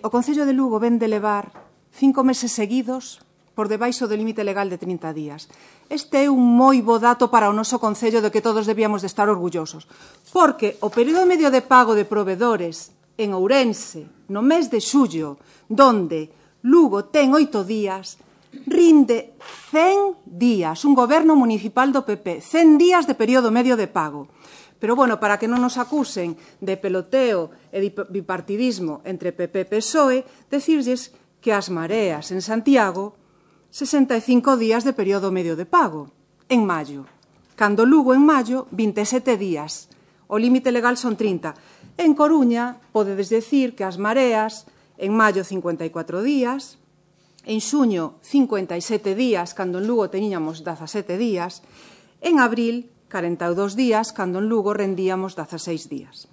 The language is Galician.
O Concello de Lugo ven de levar 5 meses seguidos por debaixo do límite legal de 30 días. Este é un moi bo dato para o noso Concello de que todos debíamos de estar orgullosos, porque o período medio de pago de provedores en Ourense, no mes de xullo, donde Lugo ten 8 días, rinde 100 días, un goberno municipal do PP, 100 días de período medio de pago. Pero, bueno, para que non nos acusen de peloteo e de bipartidismo entre PP e PSOE, decirlles que as Mareas en Santiago 65 días de período medio de pago, en maio. Cando Lugo, en maio, 27 días. O límite legal son 30. En Coruña, podedes decir que as Mareas, en maio, 54 días, en xuño, 57 días, cando en Lugo teníamos 17 días, en abril, 42 días, cando en Lugo rendíamos 16 días.